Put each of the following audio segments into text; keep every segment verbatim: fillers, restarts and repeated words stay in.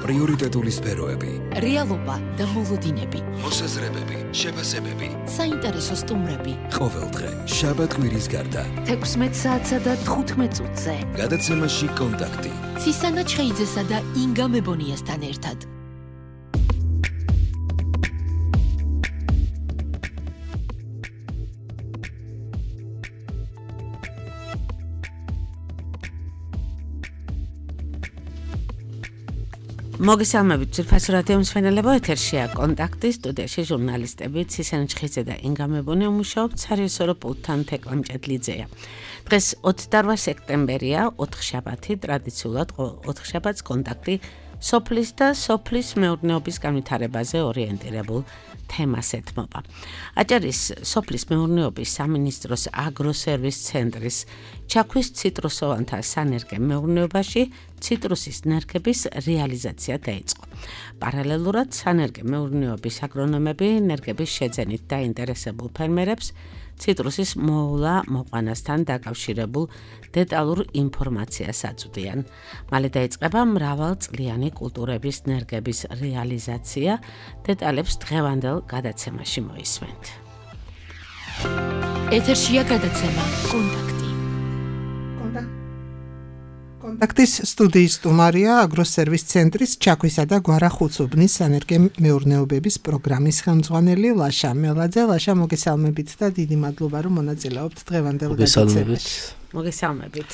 პრიორიტეტული სფეროები, რეალობა და მოლოდინები, მოსაზრებები, შეფასებები, საინტერესო სტუმრები. ყოველდღე შაბათ-კვირის გარდა თექვსმეტ საათსა და თხუთმეტ წუთზე. გადაცემაში კონტაქტი. ცისანა ჩხეიძესა და ინგა მებონიასთან ერთად. მოგესალმებით ძვირფასო რადიო მსმენელებო, ეთერშია კონტაქტი, სტუდიაში ჟურნალისტები ცისანა ჩხეიძე და ინგა მებონია მუშაობთ სარიოსორო პულტთან თეკლა მჭედლიძეა. დღეს ოცდაოთხ სექტემბერია, ოთხშაბათი, ტრადიციულად ოთხშაბათს კონტაქტი სოფლის და სოფლის მეურნეობის განვითარებაზე ორიენტირებულ თემას ეთმობა. აჭარის სოფლის მეურნეობის სამინისტროს აგროსერვის ცენტრის ჩაქვის ციტრუსოვანთა სანერგე მეურნეობაში ციტრუსის ნერგების რეალიზაცია დაიწყო. პარალელურად სანერგე მეურნეობის აგრონომები ნერგების შეძენით დაინტერესებულ ფერმერებს ციტრუსის მოვლა მოყვანასთან დაკავშირებულ დეტალურ ინფორმაციას აწვდიან. მალე დაიწყება მრავალწლიანი კულტურების ნერგების რეალიზაცია. დეტალებს დღევანდელ გადაცემაში მოისმენთ. ეთერშია გადაცემა კონტაქტი. კონტაქტის სტუდიის სტუმარია აგროსერვის ცენტრის ჩაქვისა და გვარახუცუბნის სანერგე მეურნეობების პროგრამის ხელმძღვანელი ლაშა მელაძე. ლაშა, მოგესალმებით და დიდი მადლობა, რომ მონაწილეობთ დღევანდელ გადაცემაში. მოგესალმებით.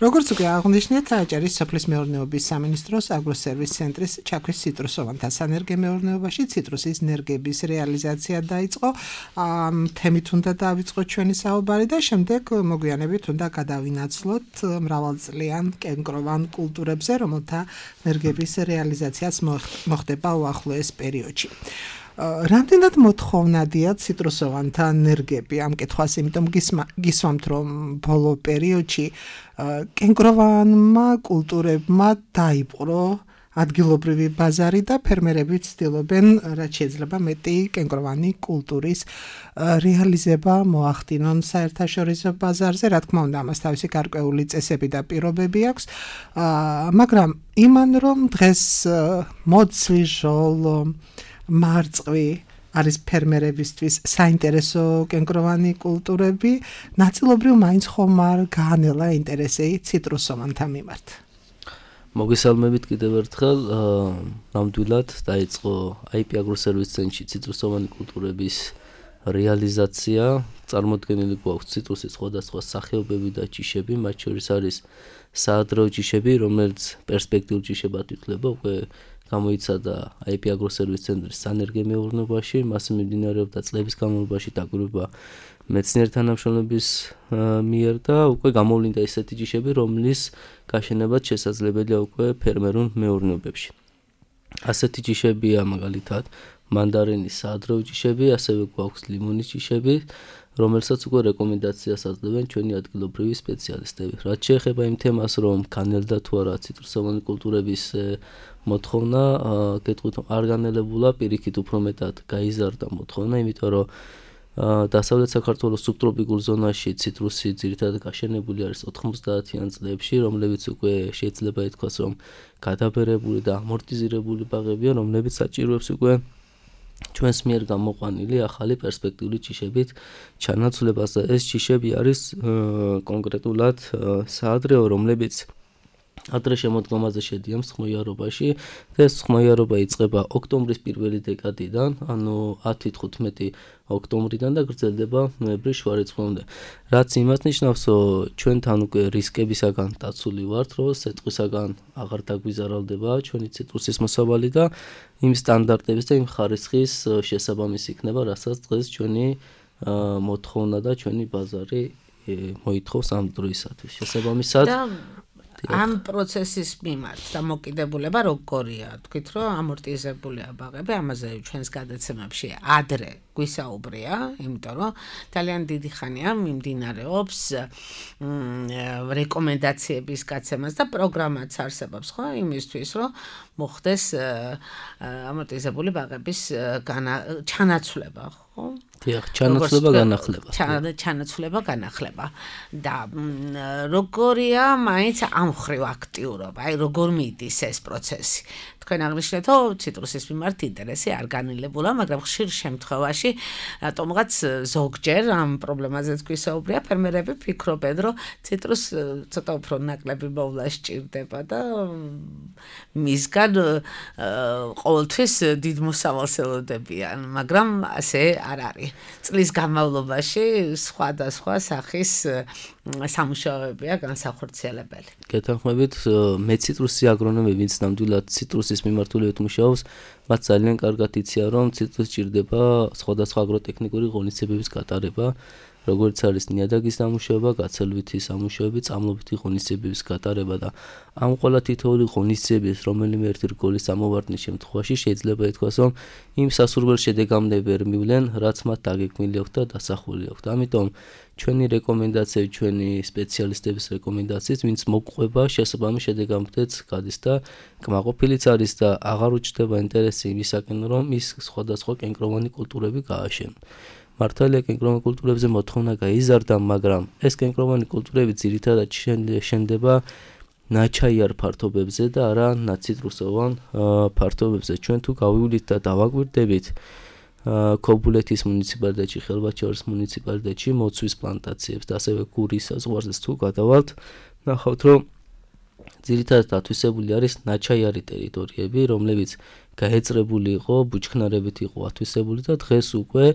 როგორც უკვე აღნიშნეთ, აჭარის სოფლის მეურნეობის სამინისტროს აგროსერვის ცენტრის ჩაქვის ციტრუსოვანთა სანერგე მეურნეობაში ციტრუსის ნერგების რეალიზაცია დაიწყო. თემით უნდა დავიწყოთ ჩვენი საუბარი და შემდეგ მოგვიანებით უნდა გადავინაცვლოთ მრავალწლიან კენკროვან კულტურებზე, რომელთა ნერგების რეალიზაციაც მოხდება უახლოეს პერიოდში. რამდენად მოთხოვნადია ციტრუსოვანთა ნერგები ამ კითხვას, იმიტომ გისვამთ, რომ ბოლო პერიოდში კენკროვანმა კულტურებმა დაიპყრო ადგილობრივი ბაზარი და ფერმერები ცდილობენ, რაც შეიძლება მეტი კენკროვანი კულტურის რეალიზება მოახდინონ საერთაშორისო ბაზარზე. რა თქმა უნდა, ამას თავისი გარკვეული წესები და პირობები აქვს, მაგრამ იმან რომ დღეს მოცვი ჟოლო მარწყვი არის ფერმერებისთვის საინტერესო კენკროვანი კულტურები, ნაწილობრივ მაინც ხომ არ გაანელა ინტერესი ციტრუსოვანთა მიმართ. მოგესალმებით კიდევ ერთხელ, ნამდვილად დაიწყო აი პი აგროსერვის ცენტრში ციტრუსოვანი კულტურების რეალიზაცია. წარმოდგენილი გვაქვს ციტრუსის სხვადასხვა სახეობები და ჯიშები, მათ შორის არის საადრეო ჯიშები, რომელიც პერსპექტიულ ჯიშებად ითვლება, უკვე გამოიცადა აი პი აგროსერვის ცენტრის სანერგე მეურნეობაში, მასზე მიმდინარეობდა წლების განმავლობაში დაკვირვება მეცნიერთა თანამშრომლების მიერ და უკვე გამოვლინდა ესეთი ჯიშები, რომლის გაშენებაც შესაძლებელია უკვე ფერმერულ მეურნეობებში. ასეთი ჯიშებია მაგალითად მანდარინის საადრეო ჯიშები, ასევე გვაქვს ლიმონის ჯიშები, რომელსაც უკვე რეკომენდაციას აძლევენ ჩვენი ადგილობრივი სპეციალისტები. რაც შეეხება იმ თემას, რომ განელდა თუ არა ციტრუსოვანი კულტურების მოთხოვნა, გეტყვით, არ განელებულა, პირიქით უფრო მეტად გაიზარდა მოთხოვნა, იმიტომ რომ დასავლეთ საქართველოს სუბტროპიკულ ზონაში ციტრუსი ძირითადად გაშენებული არის ოთხმოცდაათიან წლებში, რომლებიც უკვე შეიძლება ითქვას, რომ გადაბერებული და ამორტიზირებული ბაღებია, რომლებიც საჭიროებს უკვე ჩვენს მიერ გამოყვანილი ახალი პერსპექტიული ჯიშებით ჩანაცვლებას და ეს ჯიშები არის კონკრეტულად საადრეო, რომლებიც ადრე შემოდგომაზე შედიან მსხმოიარობაში და ეს მსხმოიარობა იწყება ოქტომბრის პირველი დეკადიდან, ანუ ათი თხუთმეტი ოქტომბრიდან და გრძელდება ნოემბრის შუა რიცხვამდე. რაც იმას ნიშნავს, რომ ჩვენთან უკვე რისკებისაგან დაცული ვართ, რომ სეტყვისაგან აღარ დაგვიზარალდება ჩვენი ციტრუსის მოსავალი და იმ სტანდარტების და იმ ხარისხის შესაბამისი იქნება, რასაც დღეს ჩვენი მოთხოვნა და ჩვენი ბაზარი მოითხოვს ამ დროისათვის. შესაბამისად ამ პროცესის მიმართ დამოკიდებულება როგორია? თქვით, რომ ამორტიზებულია ბაღები, ამაზე ჩვენს გადაცემებში ადრე გვისაუბრია, იმიტომ რომ ძალიან დიდი ხანია მიმდინარეობს რეკომენდაციების გაცემას და პროგრამაც არსებობს, ხო, იმისთვის, რომ მოხდეს ამორტიზებული ბაღების ჩანაცვლება, ხო? დიახ, ჩანაცვლება განახლება. ჩანაცვლება განახლება და როგორია მაინც ამ ხრივ აქტიურობა, აი როგორ მიდის ეს პროცესი. თქვენ აღნიშნეთ, რომ ციტრუსის მიმართ ინტერესი არ განილებულა, მაგრამ ხშირ შემთხვევაში რატომღაც ზოგჯერ ამ პრობლემაზეც გვისაუბრია, ფერმერები ფიქრობენ, რომ ციტრუს ცოტა უფრო ნაკლები მოვლა სჭირდება და მისგან ყოველთვის დიდ მოსავალს ელოდებიან, მაგრამ ასე არ არის. წლის განმავლობაში სხვადასხვა სახის სამუშაოებია განსახორციელებელი. გეთანხმებით, მე ციტრუსი აგრონომები, ვინც ნამდვილად ციტრუსის მიმართულებით მუშაობს, მათ ძალიან კარგად იციან, რომ ციტრუსს სჭირდება სხვადასხვა აგროტექნიკური ღონისძიებების გატარება, როგორც არის ნიადაგის დამუშავება, გაცელვითი სამუშაოები, წამლობითი ღონისძიებების გატარება და ამ ყველა თითოეული ღონისძიების რომელიმე ერთი რგოლის ამოვარდნის შემთხვევაში შეიძლება ითქვას, რომ იმ სასურველ შედეგამდე ვერ მივლენ, რაც მათ დაგეგმილი აქვს და დასახული აქვს. ამიტომ ჩვენი რეკომენდაციები, ჩვენი სპეციალისტების რეკომენდაციით, ვინც მოგყვება, შესაბამის შედეგამდეც გადის და კმაყოფილიც არის და აღარ უჩნდება ინტერესი იმისაკენ, რომ ის სხვადასხვა კენკროვანი კულტურები გააშენ. მართალია კენკროვანი კულტურებზე მოთხოვნა გაიზარდა, მაგრამ ეს კენკროვანი კულტურები ძირითადად შენდება ნაჩაიარ ფართობებზე და არა ნაციტრუსოვან ფართობებზე. ჩვენ თუ გავივლით და დავაკვირდებით ქობულეთის მუნიციპალიტეტში, ხელვაჩაურის მუნიციპალიტეტში მოცვის პლანტაციებს და ასევე გურის საზღვარზე თუ გადავალთ, ნახავთ, რომ ძირითადად ათვისებული არის ნაჩაიარი ტერიტორიები, რომლებიც გაეწრებული იყო, ბუჩქნარებით იყო ათვისებული და დღეს უკვე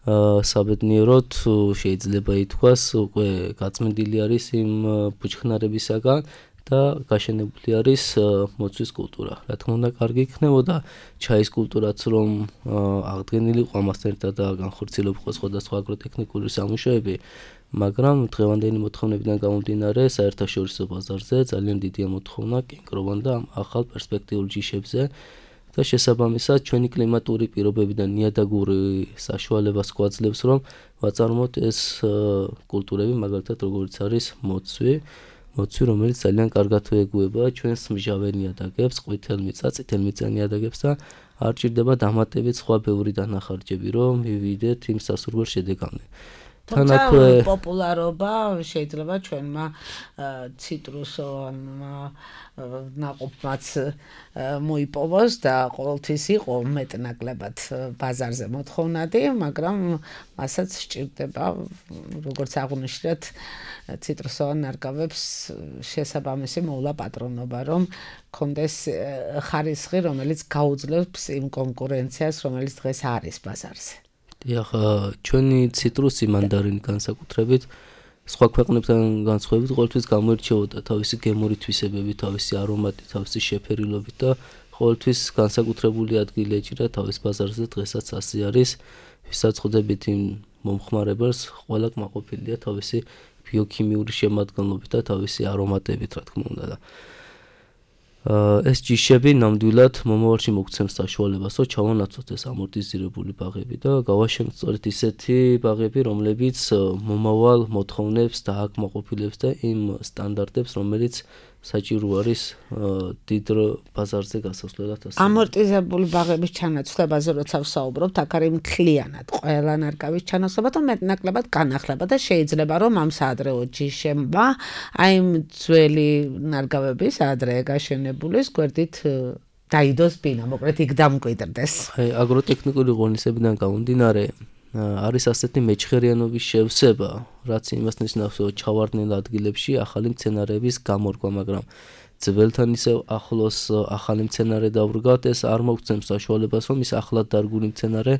საბედნიეროდ შეიძლება ითქვას, უკვე გაწმენდილი არის იმ ბუჩქნარებისაგან და გაშენებული არის მოცვის კულტურა. რა თქმა უნდა, კარგი იქნებოდა ჩაის კულტურაც რომ აღდგენილი იყო ამასთან ერთად და განხორციელებულიყო სხვადასხვა აგროტექნიკური სამუშაოები, მაგრამ დღევანდელი მოთხოვნებიდან გამომდინარე, საერთაშორისო ბაზარზე ძალიან დიდია მოთხოვნა კენკროვან და ახალ პერსპექტიულ ჯიშებზე და შესაბამისად ჩვენი კლიმატური პირობები და ნიადაგური საშუალებას გვაძლევს, რომ ვაწარმოოთ ეს კულტურები, მაგალითად როგორც არის მოცვი, მოცვი, რომელიც ძალიან კარგად ეგვება ჩვენს მჟავე ნიადაგებს, ყვითელმიწა, წითელმიწა ნიადაგებს და არ ჭირდება დამატებით სხვა ბევრი დანახარჯები, რომ მივიდეთ იმ სასურველ შედეგამდე. თანაქვე პოპულარობა შეიძლება ჩვენმა ციტრუსოვანმა ნაყოფმაც მოიპოვოს და ყოველთვის იყო მეტნაკლებად ბაზარზე მოთხოვნადი, მაგრამ მასაც სჭირდება, როგორც აღნიშნეთ, ციტრუსოვან ნარგავებს შესაბამისი მოვლა პატრონობა, რომ კონდეს ხარისხი, რომელიც გაუძლებს იმ კონკურენციას, რომელიც დღეს არის ბაზარზე. დიახ, ჩვენი ციტრუსი მანდარინი განსაკუთრებით სხვა ქვეყნებთან განსხვავებით ყოველთვის გამოირჩეოდა თავისი გემური თვისებებით, თავისი არომატით, თავისი შეფერილობით და ყოველთვის განსაკუთრებული ადგილი ეჭირა თავის ბაზარზე, დღესაც ასე არის. ვისაც ხვდებით იმ მომხმარებელს, ყველა კმაყოფილია თავისი ბიოქიმიური შემადგენლობით და თავისი არომატებით, რა თქმა უნდა და ეს ჯიშები ნამდვილად მომავალში მოგცემს საშუალებას, რომ ჩავანაცვლოთ ეს ამორტიზირებული ბაღები და გავაშენოთ სწორედ ისეთი ბაღები, რომლებიც მომავალ მოთხოვნებს და აკმაყოფილებს და იმ სტანდარტებს, რომელიც საჭირო არის დიდ ბაზარზე გასასვლელად. ამორტიზებული ბაღების ჩანაცვლებაზე როცა ვსაუბრობთ, აქ არის მთლიანად ყველა ნარგავის ჩანაცვლება და მეტნაკლებად განახლება და შეიძლება რომ ამ საადრეო ჯიშებმა აი იმ ძველი ნარგავების ადრე გაშენებულის გვერდით დაიდოს ბინა, მოკლედ იქ დამკვიდრდეს. აი აგროტექნიკური ღონისძიებიდან გამომდინარე არის ასეთი მეჩხერიანობის შევსება, რაც იმას ნიშნავს, რომ ჩავარდნილ ადგილებში ახალი მცენარეების გამორგვა, მაგრამ ძველთან ისევ ახლოს ახალი მცენარე დავრგავთ, ეს არ მოგცემს საშუალებას, რომ ის ახლად დარგული მცენარე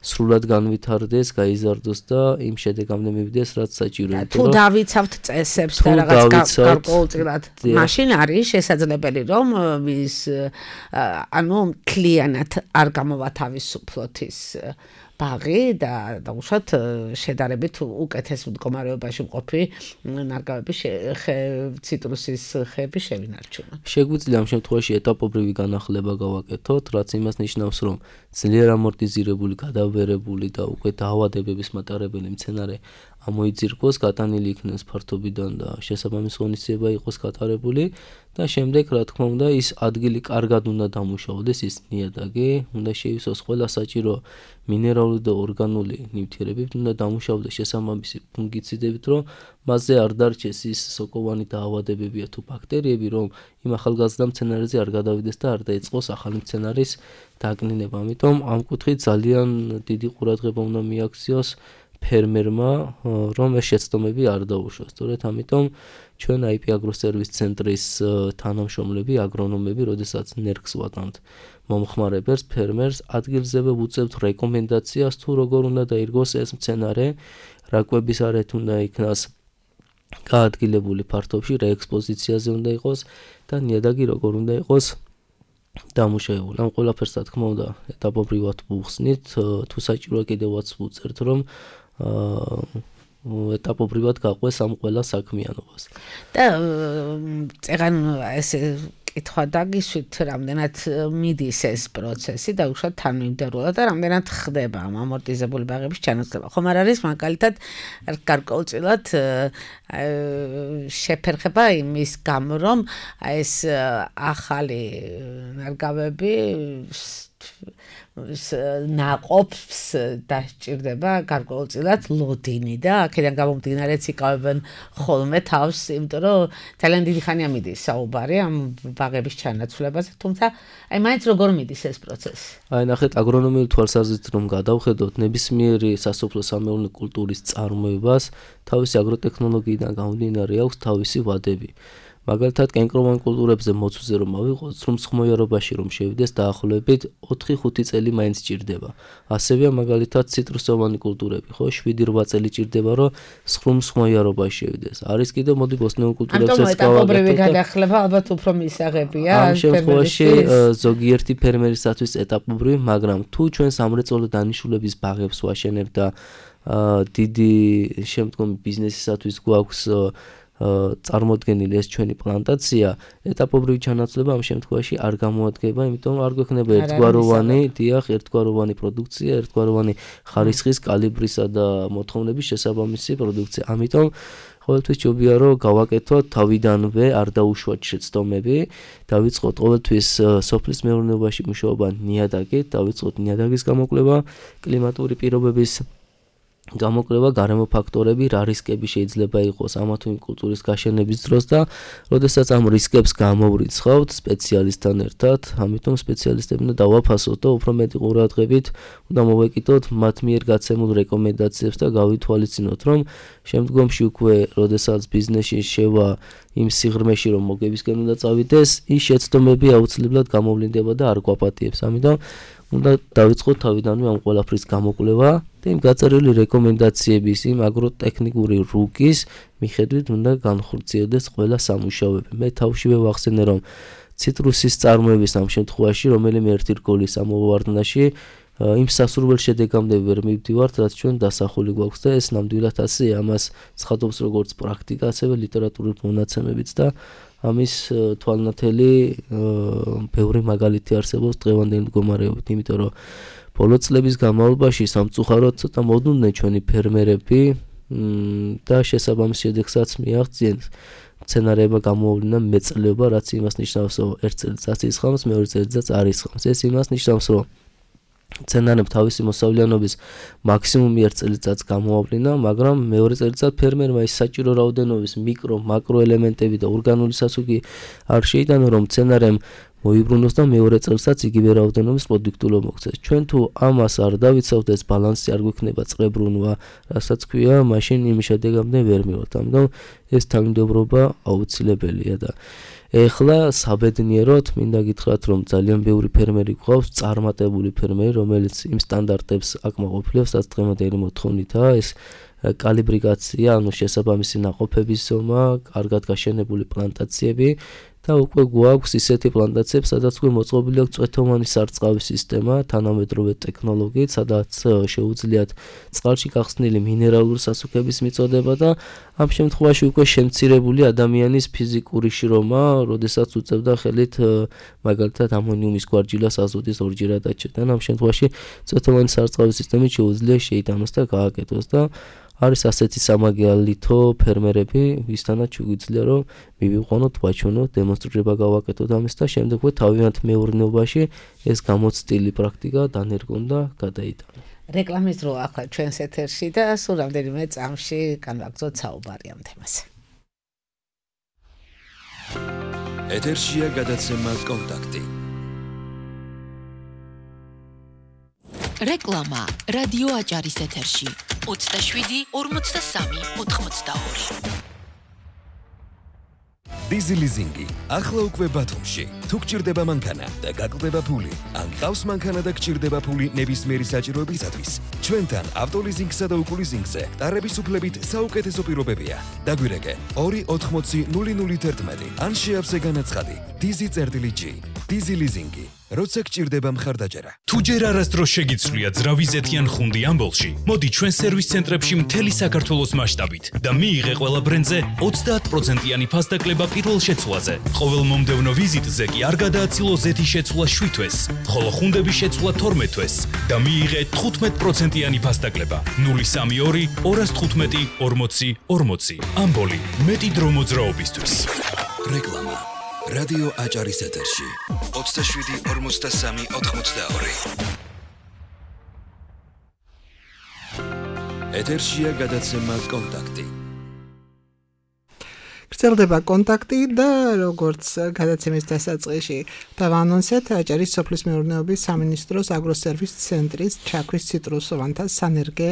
სრულად განვითარდეს, გაიზარდოს და იმ შედეგამდე მივიდეს, რაც საჭიროა. თუ დავიცავთ წესებს და რაღაც გარკვეულწილად, მაშინ არის შესაძლებელი, რომ ის ანუ მთლიანად არ გამოვათავისუფლოთ ის ბაღი და დაუშვათ შედარებით უკეთეს მდგომარეობაში მყოფი ნარგავების ციტრუსის ხეები შევინარჩუნოთ. შეგვიძლია ამ შემთხვევაში ეტაპობრივი განახლება გავაკეთოთ, რაც იმას ნიშნავს, რომ ძლიერ ამორტიზირებული, გადავერებული და უკვე დაავადებების მატარებელი მცენარე ამოიძირკოს, გატანილი იქნეს ფართობიდან და შესაბამის ღონისძიება იყოს გატარებული და შემდეგ რა თქმა უნდა ის ადგილი კარგად უნდა დამუშავდეს ის ნიადაგი, უნდა შეივსოს ყველა საჭირო მინერალური და ორგანული ნივთიერებით, უნდა დამუშავდეს შესაბამისი ფუნგიციდებით, რომ მასზე არ დარჩეს ის სოკოვანი დაავადებებია თუ ბაქტერიები, რომ იმ ახალგაზრდა მცენარეზე არ გადავიდეს და არ დაიწყოს ახალი მცენარის დაკნინება. ამიტომ ამ კუთხით ძალიან დიდი ყურადღება უნდა მიაქციოს ფერმერმა, რომ ეს შეცდომები არ დაუშვას. სწორედ ამიტომ ჩვენ აი პი აგროსერვის ცენტრის თანამშრომლები, აგრონომები, როდესაც ნერგს ვატანთ მომხმარებელს, ფერმერს ადგილზევე ვუწევთ რეკომენდაციას თუ როგორ უნდა დაირგოს ეს მცენარე, რა კვების არეთ უნდა იქნას გაადგილებული ფართობში, რა ექსპოზიციაზე უნდა იყოს და ნიადაგი როგორ უნდა იყოს დამუშავებული. ამ ყველაფერს რა თქმა უნდა ეტაპობრივად ვუხსნით, თუ საჭიროა კიდევაც ვუწერთ, რომ ეტაპობრივად გაყვეს ამ ყველა საქმიანობას. და წეგან ესე კითხვა დაგისვით, რამდენად მიდის ეს პროცესი და უშუალოდ თანმიმდევრულად და რამდენად ხდება ამ ამორტიზებული ბაღების ჩანაცვლება. ხომ არ არის მაგალითად გარკვეულწილად შეფერხება იმის გამო, რომ ეს ახალი ნარგავები ნაყოფს დასჭირდება გარკვეულწილად ლოდინი და აქედან გამომდინარეც იკავებენ ხოლმე თავს, იმიტომ რომ ძალიან დიდი ხანია მიდის საუბარი ამ ბაღების ჩანაცვლებაზე, თუმცა აი მაინც როგორ მიდის ეს პროცესი? აი ნახეთ, აგრონომიული თვალსაზრისით რომ გადავხედოთ, ნებისმიერი სასოფლო-სამეურნეო კულტურის წარმოებას თავისი აგროტექნოლოგიიდან გამომდინარე აქვს თავისი ვადები. მაგალითად, კენკროვან კულტურებზე მოცვზე რომ ავიღოთ, სრუმსხმოიარობაში რომ შევიდეს დაახლოებით ოთხი ხუთი წელი მაინც ჭირდება. ასევეა მაგალითად ციტრუსოვანი კულტურები, ხო, შვიდი რვა წელი ჭირდება, რომ სრუმსხმოიარობაში შევიდეს. არის კიდევ მოდი ბოსტნეულ კულტურებზეც გავაკეთოთ. ამიტომ ეტაპობრივი გადახლება ალბათ უფრო მისაღებია. ამ შემთხვევაში ზოგიერთი ფერმერისათვის ეტაპობრივი, მაგრამ თუ ჩვენ სამრეწველო დანიშნულების ბაღებს ვაშენებთ და დიდი შემდგომი ბიზნესისათვის გვაქვს წარმოდგენილი ეს ჩვენი პლანტაცია, ეტაპობრივი ჩანაცვლება ამ შემთხვევაში არ გამოადგება, იმიტომ არ გვექნება ერთგვაროვანი, დიახ, ერთგვაროვანი პროდუქცია, ერთგვაროვანი ხარისხის, კალიბრისა და მოთხოვნების შესაბამისი პროდუქცია. ამიტომ ყოველთვის ჯობია რომ გავაკეთოთ თავიდანვე არ დაუშვათ შეცდომები, დავიწყოთ ყოველთვის სოფლის მეურნეობაში მუშაობა ნიადაგით, დავიწყოთ ნიადაგის გამოკვლევა, კლიმატური პირობების გამოკვლევა, გარემო ფაქტორები, რა რისკები შეიძლება იყოს ამა თუ იმ კულტურის გაშენების დროს და როდესაც ამ რისკებს გამოვრიცხავთ სპეციალისტთან ერთად, ამიტომ სპეციალისტები უნდა დავაფასოთ და უფრო მეტი ყურადღებით უნდა მოვეკიდოთ მათ მიერ გაცემულ რეკომენდაციებს და გავითვალისწინოთ, რომ შემდგომში უკვე როდესაც ბიზნესში შევა იმ სიღრმეში რომ მოგებისკენ უნდა წავიდეს, ის შეცდომები აუცილებლად გამოვლინდება და არ გვაპატიებს. ამიტომ უნდა დავიწყოთ თავიდანვე ამ ყველაფრის გამოკვლევა და იმ გაწერილი რეკომენდაციების, იმ აგროტექნიკური რუკის მიხედვით უნდა განხორციელდეს ყველა სამუშაოები. მე თავშივე ვახსენე, რომ ციტრუსის წარმოების ამ შემთხვევაში რომელიმე ერთი რგოლის ამოვარდნაში იმ სასურველ შედეგამდე ვერ მივდივართ, რაც ჩვენ დასახული გვაქვს და ეს ნამდვილად ასეა, ამას ცხადობს როგორც პრაქტიკა, ასევე ლიტერატურული მონაცემებიც და ამის თვალნათელი ბევრი მაგალითი არსებობს დღევანდელი მდგომარეობით, იმიტომ რომ ბოლო წლების განმავლობაში სამწუხაროდ ცოტა მოდუნდნენ ჩვენი ფერმერები და შესაბამის შედეგსაც მიაღწიენ. მცენარეებმა გამოავლინა მეწლეობა, რაც იმას ნიშნავს, რომ ერთ წელიწადს ისხამს, მეორე წელიწადს არ ისხამს. ეს იმას ნიშნავს, რომ მცენარემ თავისი მოსავლიანობის მაქსიმუმი ერთ წელიწადს გამოავლინა, მაგრამ მეორე წელიწად ფერმერმა ის საჭირო რაოდენობის მიკრო, მაკრო ელემენტები და ორგანული სასუქი არ შეიტანო, რომ მცენარემ მოიბრუნოს და მეორე წელსაც იგივე რაოდენობის პროდუქტულობა მოგცეს. ჩვენ თუ ამას არ დავიცავთ, ეს ბალანსი არ გვექნება, წყრებრუნვა, რასაც ქვია, მაშინ იმ შედეგამდე ვერ მივართ. ამიტომ ეს თანმიმდევრობა აუცილებელია და ეხლა საბედნიეროდ მინდა გითხრათ, რომ ძალიან ბევრი ფერმერი გვყავს, წარმატებული ფერმერი, რომელიც იმ სტანდარტებს აკმაყოფილებს, რაც დღევანდელი მოთხოვნითაა, ეს კალიბრიკაცია, ანუ შესაბამისი ნაყოფების ზომა, კარგად გაშენებული პლანტაციები და უკვე გვაქვს ისეთი პლანტაციები, სადაც უკვე მოწყობილი აქვს წვეთოვანი სარწყავი სისტემა, თანამედროვე ტექნოლოგიით, სადაც შეუძლიათ წყალში გახსნილი მინერალური სასუქების მიწოდება და ამ შემთხვევაში უკვე შემცირებული ადამიანის ფიზიკური შრომა, როდესაც უწევდა ხელით მაგალითად ამონიუმის გვარჯილას აზოტის ორჯერად აჩერდა. ამ შემთხვევაში წვეთოვანი სარწყავი სისტემით შეუძლია შეიტანოს და გააკეთოს და არის ასეთი სამაგე ალითო ფერმერები, ვისთანაც შეგვიძლია რომ მივიყვანოთ, ვაჩვენოთ, დემონსტრირება გავაკეთოთ ამის და შემდეგ თავიანთ მეურნეობაში ეს გამოცდილი პრაქტიკა დანერგონ და გადაიტანონ. რეკლამის დრო ახლა ჩვენს ეთერში და სულ რამდენიმე წამში განვაგრძოთ საუბარი ამ თემაზე. ეთერშია გადაცემა კონტაქტი. რეკლამა რადიო აჭარის ეთერში ოცდაშვიდი ორმოცდასამი ოთხმოცდაორი. დიზი ლიზინგი ახლა უკვე ბათუმში. თუ გჭირდება მანქანა და გაკლდება ფული, ან გყავს მანქანა და გჭირდება ფული ნებისმიერი საჭიროებისათვის, ჩვენთან ავტოლიზინგსა და უკულიზინგზე ტარების უფლებით საუკეთესო პირობებია. დაგვირეკე ორი ოთხმოცი ნული ნული თერთმეტი ან შეავსე განაცხადი დიზი წერტილი ჯი. დიზი ლიზინგი. როცა გჭირდება მხარდაჭერა. თუ ჯერ არასდროს შეგიცვლია ძრავი ზეთიან ხუნდი ამბოლში, მოდი ჩვენ სერვის ცენტრებში მთელი საქართველოს მასშტაბით და მიიღე ყველა ბრენდზე ოცდაათ პროცენტიანი ფასდაკლება პირველ შეცვლაზე. ყოველ მომდევნო ვიზიტზე კი არ გადააცილო ზეთის შეცვლა შვიდ თვეს, ხოლო ხუნდების შეცვლა თორმეტ თვეს და მიიღე თხუთმეტ პროცენტიანი ფასდაკლება. ნული სამი ორი ორას თხუთმეტი ორმოცი ორმოცი. ამბოლი მეტი დრო მოძრაობისთვის. რეკლამა რადიო აჭარის ეთერში ოცდაშვიდი ორმოცდასამი ოთხმოცდაორი. ეთერშია გადაცემა კონტაქტი. გრძელდება კონტაქტი და როგორც გადაცემის დასაწყისში დავანონსეთ, აჭარის სოფლის მეურნეობის სამინისტროს აგროსერვის ცენტრის ჩაქვის ციტრუსოვანთა სანერგე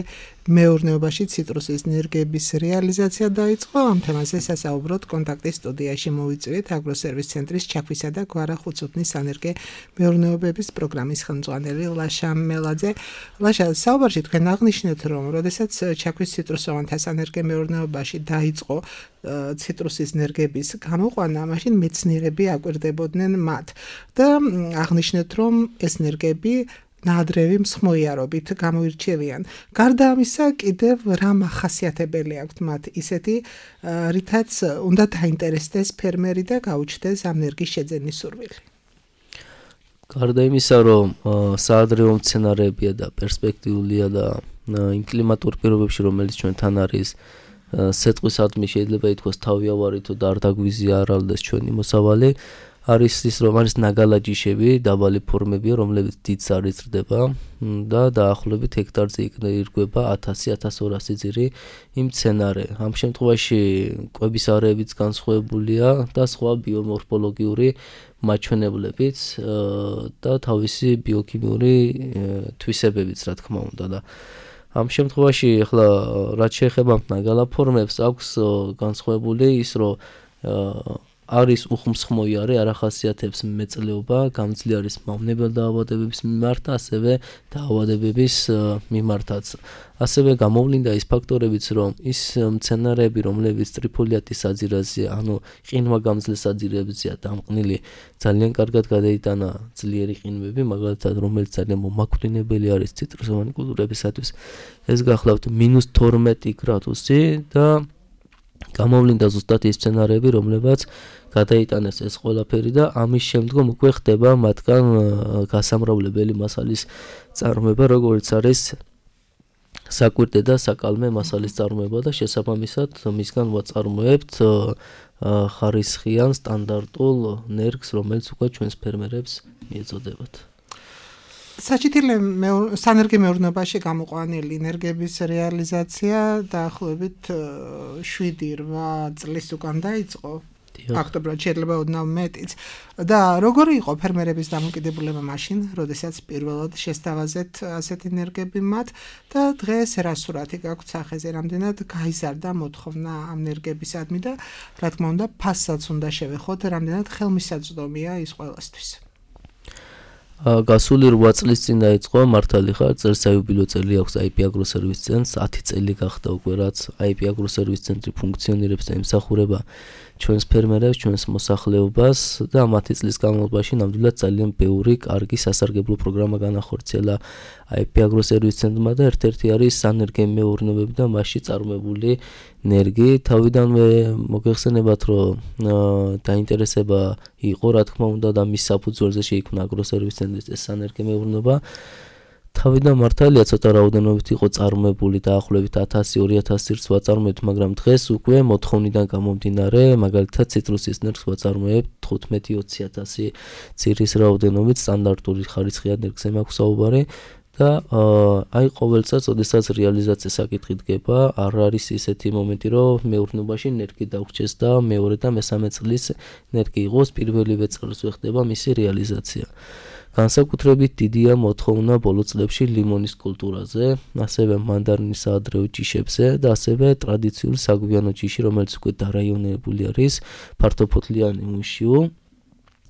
მეურნეობაში ციტრუსის ნერგების რეალიზაცია დაიწყო. ამ თემაზე სასაუბროდ კონტაქტის სტუდიაში მოვიწვიეთ აგროსერვის ცენტრის ჩაქვისა და გვარახუცუთნის სანერგე მეურნეობების პროგრამის ხელმძღვანელი ლაშა მელაძე. ლაშა, საუბარში თქვენ აღნიშნეთ, რომ როდესაც ჩაქვის ციტრუსოვანთა სანერგე მეურნეობაში დაიწყო ციტრუსის ნერგების გამოყვანა, მაშინ მეცნიერები აკვირდებოდნენ მათ და აღნიშნეთ, რომ ეს ნერგები ნაადრევი მსხმოიარობით გამოირჩევიან. გარდა ამისა, კიდევ რა მახასიათებელი აქვთ მათ ისეთი, რითაც უნდა დაინტერესდეს ფერმერი და გაუჩნდეს ამ ნერგის შეძენის სურვილი. გარდა იმისა, რომ საადრევო მცენარეებია და პერსპექტიულია და იმ კლიმატურ პირობებში, რომელიც ჩვენთან არის, სეტყვისადმი შეიძლება ითქვას თავიავარითო და არ დაგვიზია არალდეს ჩვენი მოსავალი. არის ის რომ არის ნაგალაჯიშები, დაბალი ფორმებია, რომლებიც დიდ ზარით ზრდება და დაახლოებით ჰექტარზე ირგვება ათასი ათას ორასი ძირი იმ მცენარე. ამ შემთხვევაში კვების არეებიც განსხვავებულია და სხვა ბიომორფოლოგიური მაჩვენებლებიც და თავისი ბიოქიმიური თვისებებიც, რა თქმა უნდა და ამ შემთხვევაში ახლა რაც შეეხება ნაგალა ფორმებს აქვს განსხვავებული ის რომ არის უხმსხმოიარე, არ ახასიათებს მეწლეობა, გამძლე არის მავნებელ დაავადებების მიმართ, ასევე დაავადებების მიმართაც. ასევე გამოვლინდა ის ფაქტორებიც, რომ ის მცენარეები, რომლებიც ტრიფოლიატის საძირეზე, ანუ ყინვაგამძლე საძირეებზეა დამყნილი, ძალიან კარგად გადაიტანა ძლიერი ყინვები, მაგალითად, რომელიც ძალიან მომაკვდინებელი არის ციტრუსოვანი კულტურებისათვის. ეს გახლავთ მინუს თორმეტი გრადუსი და გამოვლინდა ზუსტად ის მცენარეები, რომლებაც გადაიტანეს ეს ყველაფერი და ამის შემდგომ უკვე ხდება მათგან გასამრავლებელი მასალის წარმოება, როგორც არის საკვირტე და საკალმე მასალის წარმოება და შესაბამისად მისგან ვაწარმოებთ ხარისხიან სტანდარტულ ნერგს, რომელიც უკვე ჩვენს ფერმერებს მიეწოდებათ. საჭითილე სანერგე მეურნეობაში გამოყვანილი ნერგების რეალიზაცია დაახლოებით შვიდი რვა წლის უკან დაიწყო. ფაქტობრივად შეიძლება ოდნავ მეტიც. და როგორი იყო ფერმერების დამოკიდებულება მაშინ, როდესაც პირველად შესთავაზეთ ასეთი ნერგები მათ და დღეს რა სურათი გაქვთ სახეზე, რამდენად გაიზარდა მოთხოვნა ამ ნერგებისადმი და რა თქმა უნდა ფასსაც უნდა შევეხოთ, რამდენად ხელმისაწვდომია ის ყველასთვის. გასული რვა წლის წინ დაიწყო მართალი ხარ, წელს საიუბილეო წელი აქვს აი პი აგროსერვის ცენტრს, ათი წელი გახდა უკვე რაც აი პი აგროსერვის ცენტრი ფუნქციონირებს და ემსახურება ჩვენს ფერმერებს, ჩვენს მოსახლეობას და მათი წლის განმავლობაში ნამდვილად ძალიან ბევრი კარგი სასარგებლო პროგრამა განახორციელა აი პი აგროსერვის ცენტრმა და ერთ-ერთი არის სანერგე მეურნეობები და მასში წარმოებული ნერგი. თავიდანვე მოგეხსენებათ, რომ დაინტერესება იყო, რა თქმა უნდა და მის საფუძველზე შეიქმნა აგროსერვის ცენტრის ეს სანერგე მეურნეობა. თავიდან მართალია ცოტა რაოდენობით იყო წარმოებული დაახლოებით ათასი ორი ათასი რს ვაწარმოებთ, მაგრამ დღეს უკვე მოთხოვნიდან გამომდინარე, მაგალითად ციტრუსის ნერგს ვაწარმოებთ თხუთმეტი ოცი ათასი ძირის რაოდენობით, სტანდარტული ხარისხიან ნერგზე მაქვს საუბარი და აი ყოველ წელს, ოდესაც რეალიზაციის საკითხი დგება, არ არის ისეთი მომენტი, რომ მეურნეობაში ნერგი დავრჩეს და მეორე და მესამე წლის ნერგი იყოს, პირველივე წელს ხდება მისი რეალიზაცია. განსაკუთრებით დიდია მოთხოვნა ბოლო წლებში ლიმონის კულტურაზე, ასევე მანდარინის საადრეო ჯიშებზე და ასევე ტრადიციული საგვიანო ჯიში, რომელიც უკვე დარაიონებული არის, ფართოფოთლიანი უნშიუ.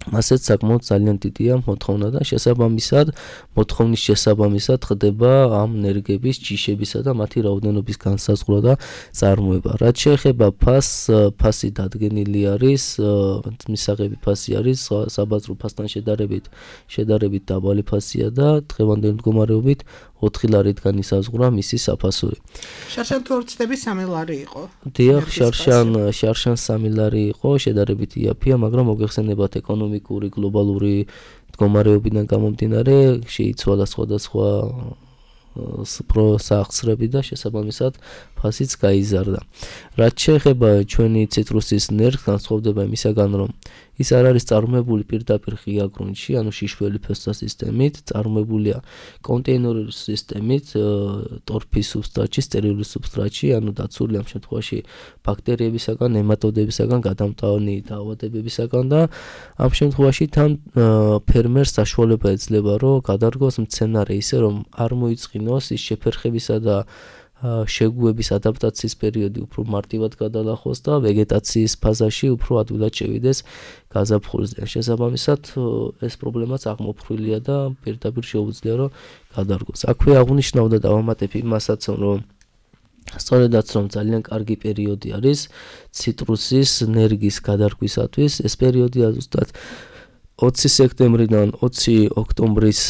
ასეც საკმაოდ ძალიან დიდია მოთხოვნა და შესაბამისად, მოთხოვნის შესაბამისად ხდება ამ ნერგების, ჯიშებისა და მათი რაოდენობის განსაზღვრა და წარმოება. რაც შეეხება ფასს, ფასი დადგენილი არის, მისაღები ფასი არის, საბაზრო ფასთან შედარებით, შედარებით დაბალი ფასია და დღევანდელი მდგომარეობით ოთხი ლარით განისაზღვრა მისი საფასური. შარშან თუ ორცდები სამი ლარი იყო. დიახ, შარშან, შარშან სამი ლარი იყო, შედარებით იაფია, მაგრამ მოგეხსენებათ ეკონომიკური გლობალური მდგომარეობიდან გამომდინარე, შეიცვალა სხვადასხვა პროსახსრები და შესაბამისად ფასიც გაიზარდა. რაც შეეხება ჩვენი ციტრუსის ნერგს, განსხვავდება იმისაგან, რომ ის არ არის წარმოებული პირდაპირ ღია გრუნტში, ანუ შიშველი ფესვთა სისტემით, წარმოებულია კონტეინერული სისტემით, ტორფის სუბსტრატში, სტერილური სუბსტრატში, ანუ დაცული ამ შემთხვევაში ბაქტერიებისაგან, ნემატოდებისაგან, გადამტანი დაავადებებისაგან და ამ შემთხვევაში თან ფერმერს საშუალება ეძლევა, რომ გადარგოს მცენარე ისე, რომ არ მოიწყინოს ის შეფერხებისა და შეგუების ადაპტაციის პერიოდი უფრო მარტივად გადალახოს და ვეგეტაციის ფაზაში უფრო ადვილად შევიდეს გაზაფხულზე. შესაბამისად, ეს პრობლემაც აღმოფხვრილია და პირდაპირ შეუძლია, რომ გადარგოს. აქვე აღნიშნავდა და დავამატებ იმასაც, რომ სწორედაც რომ ძალიან კარგი პერიოდი არის ციტრუსის ნერგის გადარგვისათვის, ეს პერიოდია ზუსტად ოცი სექტემბრიდან ოცი ოქტომბრის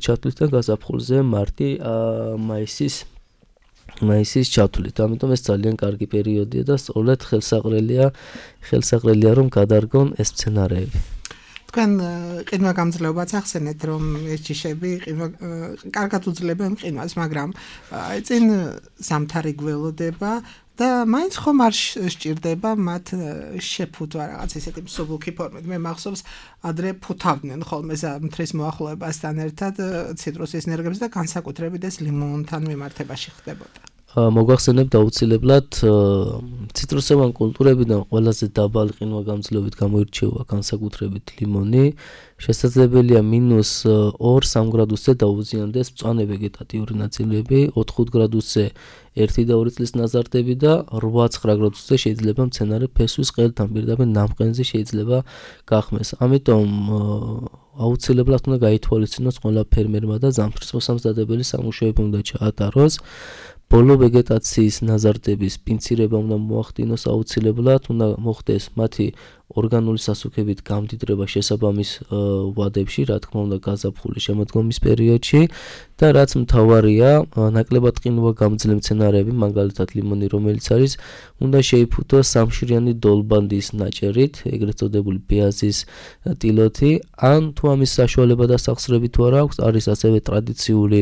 ჩათვლით გაზაფხულზე მარტი მაისის მაისის ჩათვლით. ამიტომ ეს ძალიან კარგი პერიოდია და სწორედ ხელსაყრელია ხელსაყრელია რომ გადარგონ ეს სცენარეები. თქვენ ყინვაგამძლეობაც ახსენეთ, რომ ეს ჯიშები ყინვა კარგად უძლებენ ყინვას, მაგრამ აი წინ ზამთარი გველოდება და მაინც ხომ არ სჭირდება მათ შეფუთვა რაღაც ისეთი მსუბუქი ფორმით. მე მახსოვს ადრე ფუთავდნენ ხოლმე ზამთრის მოახლოებასთან ერთად ციტრუსის ნერგებს და განსაკუთრებით ეს ლიმონთან მიმართებაში ხდებოდა. მოგახსენებთ აუცილებლად ციტრუსოვან კულტურებიდან ყველაზე დაბალი ყინვაგამძლეობით გამოირჩევა განსაკუთრებით ლიმონი. შესაძლებელია მინუს ორ სამ გრადუსზე დაუზიანდეს მწვანე ვეგეტატიური ნაწილები, ოთხ ხუთ გრადუსზე ერთი და ორი წლის ნაზარდები და რვა ცხრა გრადუსზე შეიძლება მცენარე ფესვის ყელთან პირდაპირ ნამყენზე შეიძლება გახმეს. ამიტომ აუცილებლად უნდა გაითვალისწინოს ყველა ფერმერმა და ზამთრის მოსამზადებელი სამუშაოები უნდა ჩაატაროს. ბოლო ვეგეტაციის ნაზარდების პინცირება უნდა მოახდინოს აუცილებლად, უნდა მოხდეს მათი ორგანული სასუქებით გამდიდრება შესაბამის ვადებში, რა თქმა უნდა გაზაფხულის შემოდგომის პერიოდში და რაც მთავარია, ნაკლებად ყინვაგამძლე მცენარეები, მაგალითად ლიმონი, რომელიც არის, უნდა შეიფუთოს სამშრიანი დოლბანდის ნაჭერით, ეგრეთ წოდებული ბეაზის ტილოთი, ან თუ ამის საშუალება და სახსრები თუ არ აქვს, არის ასევე ტრადიციული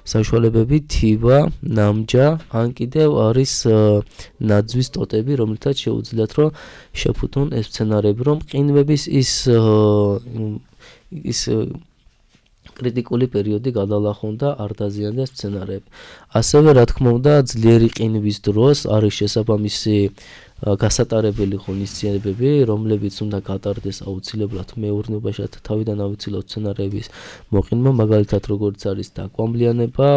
საშუალებები, თივა, ნამჯა, ან კიდევ არის ნაძვის ტოტები, რომლითაც შეუძლიათ რომ შეფუთონ ეს მცენარეები, რომ ყინვების ის ის კრიტიკული პერიოდი გადალახონ და არ დაზიანდეს მცენარეები. ასევე რა თქმა უნდა, ძლიერი ყინვის დროს არის შესაბამისი გასატარებელი ღონისძიებები, რომლებიც უნდა გატარდეს აუცილებლად მეურნეობაში, თავიდან ავიცილოთ სცენარეების მოყინვა, მაგალითად როგორც არის დაკვამლიანება,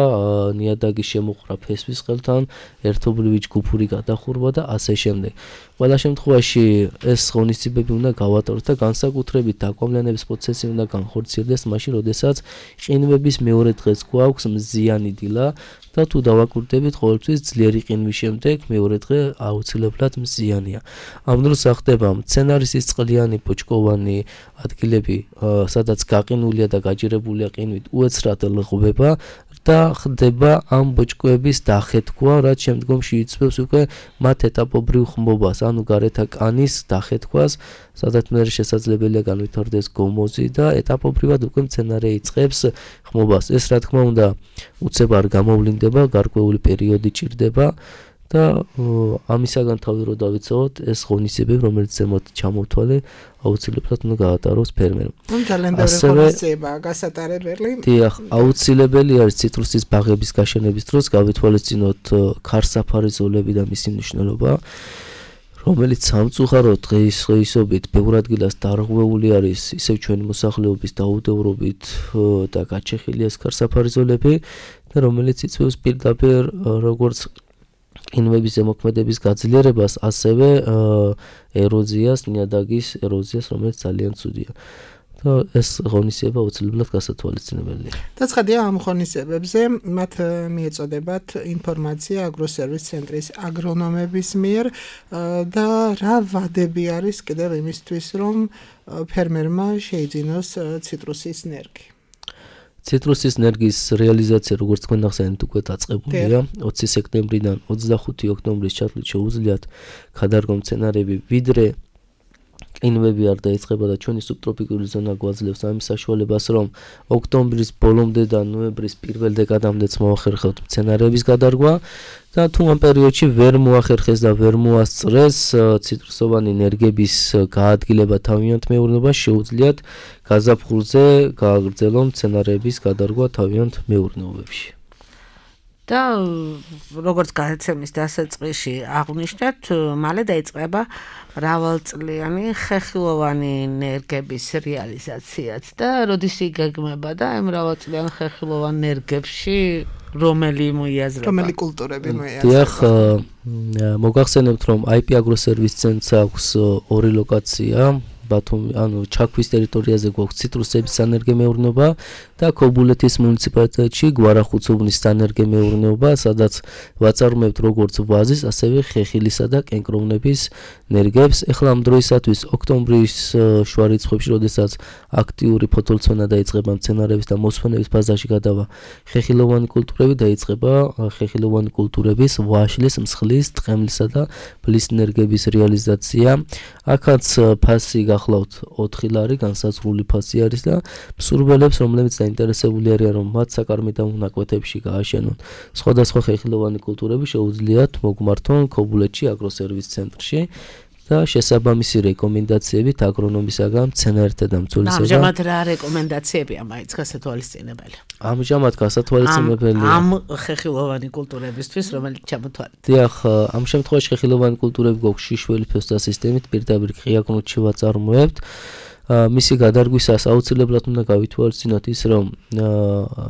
ნიადაგის შემოყრა ფესვის ყელთან, ერთობლივი ჯგუფური გადახურვა და ასე შემდეგ. ყველა შემთხვევაში ეს ღონისძიებები უნდა გავატაროთ და განსაკუთრებით დაკვამლიანების პროცესი უნდა განხორციელდეს მაშინ, როდესაც ყინვების მეორე დღეს გვაქვს მზიანი დილა და თუ დავაკვირდებით ყოველთვის ძლიერი ყინვის შემდეგ მეორე დღე აუცილებლად მზიანია. ამ დროს ახდება მცენარის ის წყლიანი ბოჭკოვანი ადგილები, სადაც გაყინულია და გაჯერებულია ყინვით, უეცრად ლღვება და ხდება ამ ბოჭკოების დახეთქვა, რაც შემდგომში იწვევს უკვე მათ ეტაპობრივ ხმობას, ანუ გარეთა კანის დახეთქვას, სადაც მე შესაძლებელია განვითარდეს გომოზი და ეტაპობრივად უკვე მცენარე იწყებს ხმობას. ეს რა თქმა უნდა უცებ არ გამოვლინდება, გარკვეული პერიოდი ჭირდება და ამისაგან თავი რო დავიცავოთ, ეს ღონისძიებები, რომელიც ზემოთ ჩამოვთვალე, აუცილებლად უნდა გაატაროს ფერმერმა. ძალიან ბევრი ღონისძიებაა გასატარებელი. დიახ, აუცილებელი არის ციტრუსის ბაღების გაშენების დროს გავითვალისწინოთ ქარსაფარი ზოლები და მისი მნიშვნელობა, რომელიც სამწუხაროდ დღის დღეისობით ბევრ ადგილას დარღვეული არის ისევ ჩვენი მოსახლეობის დაუდევრობით და გაჩეხილი ეს ქარსაფარი ზოლები და რომელიც იწვევს პირდაპირ როგორც ყინვების ზემოქმედების გაძლიერებას, ასევე ეროზიას, ნიადაგის ეროზიას, რომელიც ძალიან ცუდია. და ეს ღონისძიება აუცილებლად გასათვალისწინებელია. დაცხადია ამ ღონისძიებებზე, მათ მიეწოდებათ ინფორმაცია აგროსერვის ცენტრის აგრონომების მიერ და რა ვადები არის კიდევ იმისთვის, რომ ფერმერმა შეიძინოს ციტრუსის ნერგი. ციტრუსის ნერგის რეალიზაცია, როგორც თქვენ ახსენეთ, უკვე დაწყებულია. ოცი სექტემბრიდან ოცდახუთი ოქტომბრის ჩათვლით შეუძლიათ გადარგო მცენარეები, ვიდრე ყინვები არ დაიწყება და ჩვენი სუბტროპიკული ზონა გვაძლევს ამის საშუალებას, რომ ოქტომბრის ბოლომდე და ნოემბრის პირველ დეკადამდეც მოახერხებთ მცენარეების გადარგვა და თუ ამ პერიოდში ვერ მოახერხეს და ვერ მოასწრეს ციტრუსოვანი ნერგების გაადგილება თავიანთ მეურნეობას, შეუძლიათ გაზაფხულზე გააგრძელონ მცენარეების გადარგვა თავიანთ მეურნეობებში. და როგორც გადაცემის დასაწყისში აღვნიშნეთ, მალე დაიწყება მრავალწლიანი ხეხილოვანი ნერგების რეალიზაციაც და როდის იგეგმება და ამ მრავალწლიან ხეხილოვან ნერგებში რომელი მოიაზრება? რომელი კულტურები მოიაზრება? დიახ, მოგახსენებთ, რომ აი პი აგროსერვის ცენტრს აქვს ორი ლოკაცია. ბათუმი, ანუ ჩაქვის ტერიტორიაზე გვაქვს ციტრუსების სანერგემეურნეობა და ქობულეთის მუნიციპალიტეტში გვარახუცუბნის სანერგემეურნეობა, სადაც ვაწარმოებთ როგორც ვაზის, ასევე ხეხილისა და კენკროვნების ნერგებს. ეხლა ამ დროისათვის ოქტომბრის შუა რიცხვებში, როდესაც აქტიური ფოთოლცვენა დაიწყება მცენარეების და მოსვენების ფაზაში გადავა ხეხილოვანი კულტურები, დაიწყება ხეხილოვანი კულტურების ვაშლის, მსხლის, ტყემლისა და ბლის ნერგების რეალიზაცია. აქაც ფასი გახლავთ ოთხი ლარი, განსაზღვრული ფასი არის და მსურველებს, რომლებიც დაინტერესებული არიან, რომ მათ საკარმიდამო ნაკვეთებში გააშენონ სხვადასხვა ხეხილოვანი კულტურები, შეუძლიათ მოგმართონ ქობულეთში აგროსერვის ცენტრში და შესაბამისი რეკომენდაციებით აგრონომისაგან, მცენარეთა და მცველისაგან. ამჟამად რა რეკომენდაციებია მაინც გასათვალისწინებელი? ამჟამად გასათვალისწინებელი ამ ხეხილოვანი კულტურებისთვის, რომელიც ჩამოთვალეთ. დიახ, ამ შემთხვევაში ხეხილოვანი კულტურები გვაქვს შიშველი ფესტა სისტემით, პირდაპირ ყიაკნუთში ვაწარმოებთ. მისი გადარგვისას აუცილებლად უნდა გავითვალისწინოთ ის, რომ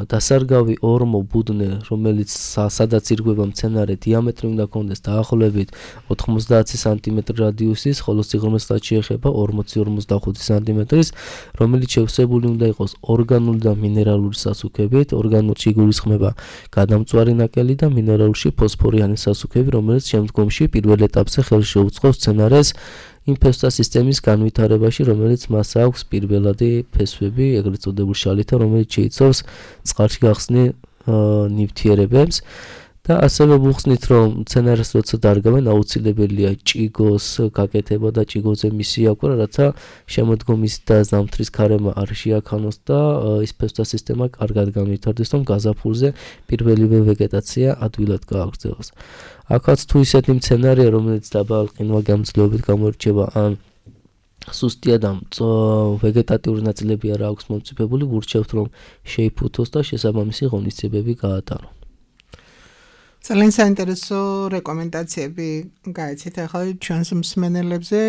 დასარგავი ორმო ბუდნე, რომელიც სადაც ირგვება მცენარე, დიამეტრი უნდა ქონდეს დაახლოებით ოთხმოცდაათი სანტიმეტრი რადიუსის, ხოლო სიღრმესაც შეეხება ორმოცი ორმოცდახუთი სანტიმეტრის, რომელიც შევსებული უნდა იყოს ორგანული და მინერალური სასუქებით. ორგანულში იგულისხმება გადამწვარი ნაკელი და მინერალურში ფოსფორიანი სასუქები, რომელიც შემდგომში პირველ ეტაპზე ხელს შეუწყობს მცენარეს იმ ფესტა სისტემის განვითარებაში, რომელიც მას აქვს პირველადი ფესვები, ეგრეთ წოდებულ შალითა, რომელიც შეიცავს წყალში გახსნილ ნივთიერებებს და ასევე ვუხსნით, რომ მცენარეს როცა დარგავენ, აუცილებელია ჭიგოს გაკეთება და ჭიგოზე მისი აკვირა, რათა შემოდგომის და ზამთრის ქარება არ შეაქანოს და ის ფესტა სისტემა კარგად განვითარდეს, რომ გაზაფხულზე პირველივე ვეგეტაცია ადვილად გააგრძელოს. აქაც თუ ისეთი მცენარეა, რომელიც დაბალ ყინვაგამძლეობით გამოირჩევა ან სუსტია და ვეგეტატიური ნაწილები არ აქვს მომწიფებული, ვურჩევთ, რომ შეიფუთოს და შესაბამისი ღონისძიებები გაატარო. ძალიან საინტერესო რეკომენდაციები გაიცით ახლა ჩვენს მსმენელებზე,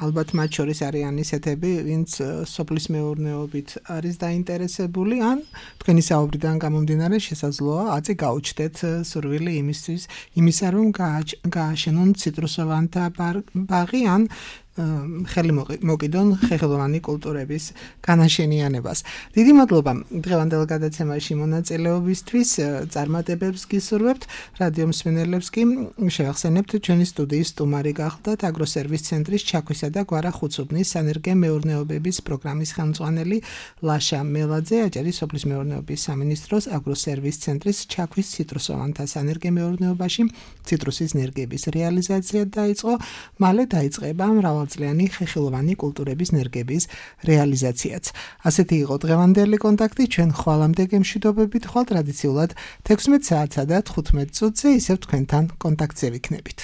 ალბათ მათ შორის არიან ისეთები, ვინც სოფლის მეურნეობით არის დაინტერესებული, ან თქვენი საუბრიდან გამომდინარე შესაძლოა აწი გაუჩნდეთ სურვილი იმისთვის, იმისა, რომ გააშენონ ციტრუსოვანთა ბაღი, ან ხელი მოკიდონ ხეხილოვანი კულტურების განაშენიანებას. დიდი მადლობა დღევანდელ გადაცემაში მონაწილეობისთვის. წარმატებებს გისურვებთ. რადიო მსმენელებს კი შევახსენებთ, ჩვენი სტუდიის სტუმარი გახლდათ აგროსერვის ცენტრის ჩაქვისა და გვარახუცუბნის სანერგე-მეურნეობების პროგრამის ხელმძღვანელი ლაშა მელაძე. აჭარის სოფლის მეურნეობის სამინისტროს აგროსერვის ცენტრის ჩაქვის ციტრუსოვანთა სანერგე-მეურნეობაში ციტრუსის ნერგების რეალიზაცია დაიწყო. მალე დაიწყება მრავალწლიანი ხეხილოვანი კულტურების ნერგების რეალიზაციაც. ასეთი იყო დღევანდელი კონტაქტი. ჩვენ ხვალამდე გემშვიდობებით ხვალ ტრადიციულად თექვსმეტ საათსა და თხუთმეტ წუთზე ისევ თქვენთან კონტაქტზე ვიქნებით.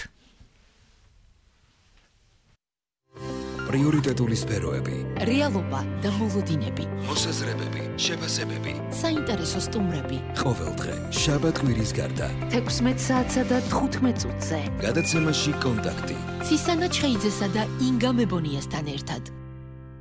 პრიორიტეტული სფეროები, რეალობა და მოლოდინები, მოსაზრებები, შეფასებები, საინტერესო სტუმრები. ყოველდღე შაბათ-კვირის გარდა თექვსმეტ საათსა და თხუთმეტ წუთზე. გადაცემაში კონტაქტი. ცისანა ჩხეიძესა და ინგა მებონიასთან ერთად.